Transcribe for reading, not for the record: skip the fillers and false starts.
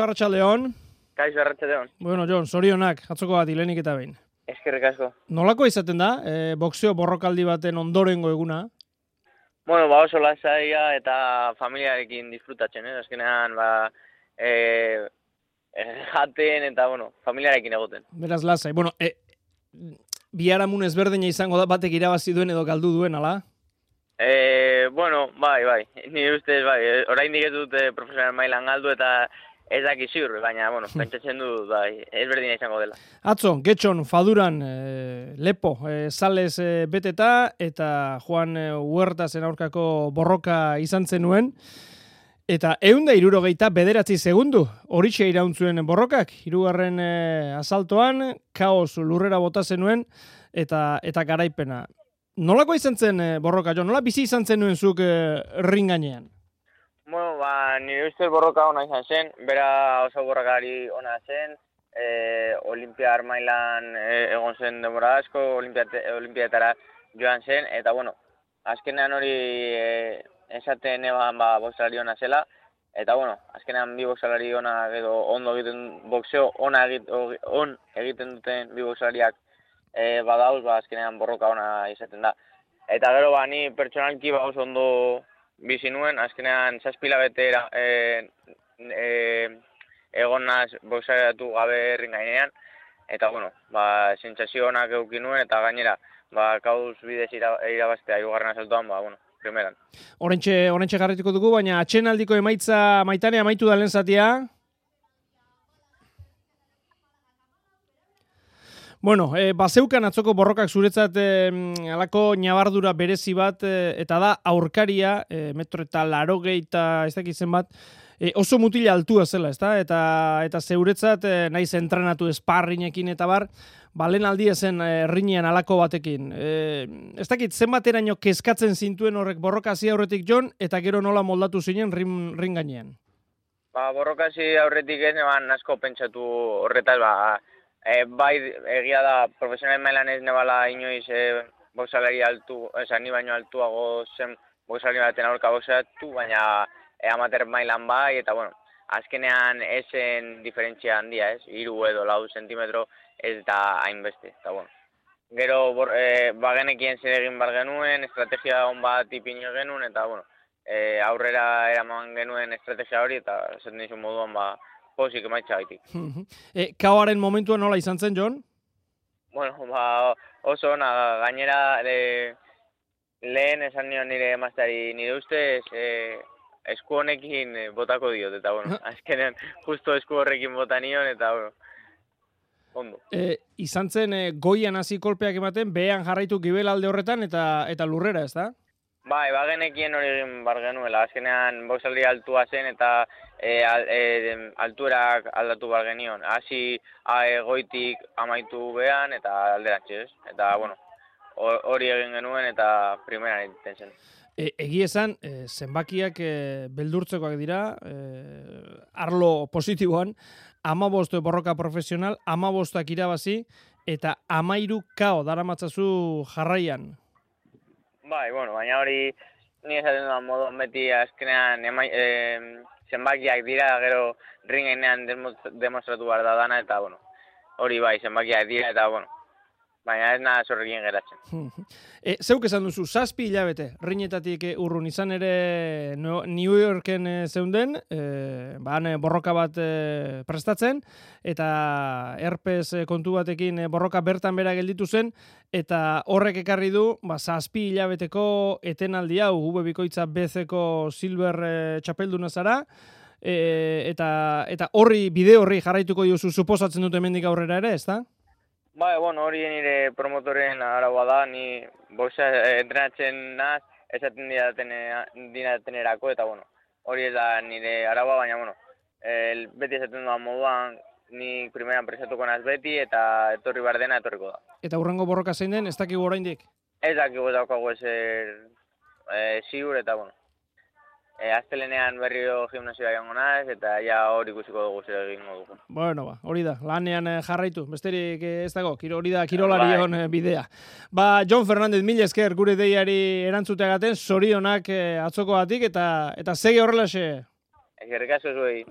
Arratsaldeon. Kaixo, arratsaldeon. Bueno, Jon, zorionak, atzoko bat lehenik eta behin. Eskerrik asko. Nolako izaten da, boxeo borrokaldi baten ondorengo eguna? Bueno, oso lasaia eta familiarekin disfrutatzen, azkenean, jaten eta, familiarekin egoten. Beraz, lasai. Bueno, biharamun ezberdina izango da batek irabazi duen edo galdu duen, ala? Bai. Ni ustez, bai. Oraindik ez dut profesional mailan galdu eta ez daki ziur, baina, pentsatzen du, bai, ezberdina izango dela. Atzo, Getxon, Faduran, lepo, sales beteta, eta Juan Huertasen aurkako borroka izan zenuen, eta 169 segundu, horixe irauntzuen borrokak, hirugarren asaltoan, kaos lurrera bota zenuen, eta garaipena. Nolako izan zen borroka, Jo? Nola bizi izan zenuen zuk ring gainean? Bueno, nire ustez borroka ona izan zen, bera oso borrokari ona zen, Olimpiar mailan egon zen denbora asko, Olimpiatara joan zen, eta azkenean hori esaten eban boxalari ona zela, eta azkenean bi boxalari ona edo ondo egiten boxeo on egiten duten bi boxalariak badauz, azkenean borroka ona izaten da. Eta gero ni pertsonalki oso ondo bizi nuen, azkenean 7 hilabete egon naz boxeatu gabe ring gainean, eta sentsazio onak eduki nuen, eta gainera, kauz bidez irabaztea hirugarren asaltoan, primeran. Orentxe garrituko dugu, baina atxenaldiko emaitza Maitane amaitu da lehen zatia. Bueno, bazeukan atzoko borrokak zuretzat alako ñabardura berezi bat, eta da aurkaria, 1,80 ez dakit zenbat, oso mutila altua zela, ezta? Eta zeuretzat naiz entrenatu esparrinekin eta bar, lehen aldia zen rinean alako batekin. Ez dakit zenbateraino kezkatzen zintuen horrek borrokasi aurretik, Jon, eta gero nola moldatu zinen ring gainean? Borrokasi aurretik ez neban asko pentsatu horretaz, bai, egia da, profesional mailan ez nebala inoiz boxalari altu, ni baino altuago zen boxalari baten aurka boxeatu, baina amateur mailan bai, eta azkenean esen diferentzia handia, 3 edo 4 zentimetro ez da hainbeste, eta Gero, bagenekien zer egin bar genuen, estrategia on bat ipini genuen, eta aurrera eraman genuen estrategia hori, eta esaten dizun moduan pozik emaitza gaitik. Kaoaren momentua nola izan zen, Jon? Oso ona, gainera lehen esan nion nire emazteari, nire ustez esku honekin botako diot, eta azkenean justo esku horrekin bota nion, eta ondo. Izan zen goian hasi kolpeak ematen, behean jarraitu gibel alde horretan eta lurrera, ez da? Bai, bagenekien hori egin bar genuela, azkenean boxaldi altua zen eta altuerak aldatu bar genion. Hasi goitik amaitu behan eta alderantziz, eta hori egin genuen eta primeran egiten zen. Egi esan, zenbakiak beldurtzekoak dira, arlo positiboan, 15 borroka profesional, 15 irabazi, eta 13 kao daramatzazu jarraian. Bai, baina hori ni esaten dudan moduan beti azkenean zenbakiak dira, gero ringenean demostratu behar da dana, eta hori bai, zenbakiak dira, eta baina ez nada zorrekin geratzen. Zeuk esan duzu, 7 hilabete, rinetatik urrun izan ere New Yorken zeunden, borroka bat prestatzen, eta herpes kontu batekin borroka bertan bera gelditu zen, eta horrek ekarri du, 7 hilabeteko etenaldi hau, Bikoitza BC-ko silver txapelduna zara, eta bide horri jarraituko diozu suposatzen dut hemendik aurrera ere, ez da? Bai, hori nire promotoren araua da, ni boxa entrenatzen naz, esaten dinatenerako, eta hori ez da nire araua, baina beti esaten dudan moduan, ni primeran presatuko naz beti, eta etorri behar dena etorriko da. Eta hurrengo borroka zein den, ez dakigu oraindik? Ez dakigu daukagu ezer ziur, eta astelenean berriro gimnasioa joango naiz, eta hori ikusiko dugu zer egingo dugu. Hori da, lanean jarraitu, besterik ez dago, hori da kirolarion bidea. Jon Fernández, mila esker gure deiari erantzuteagaten, zorionak atzokoatik, eta segi horrelaxe. Eskerrik asko zuei.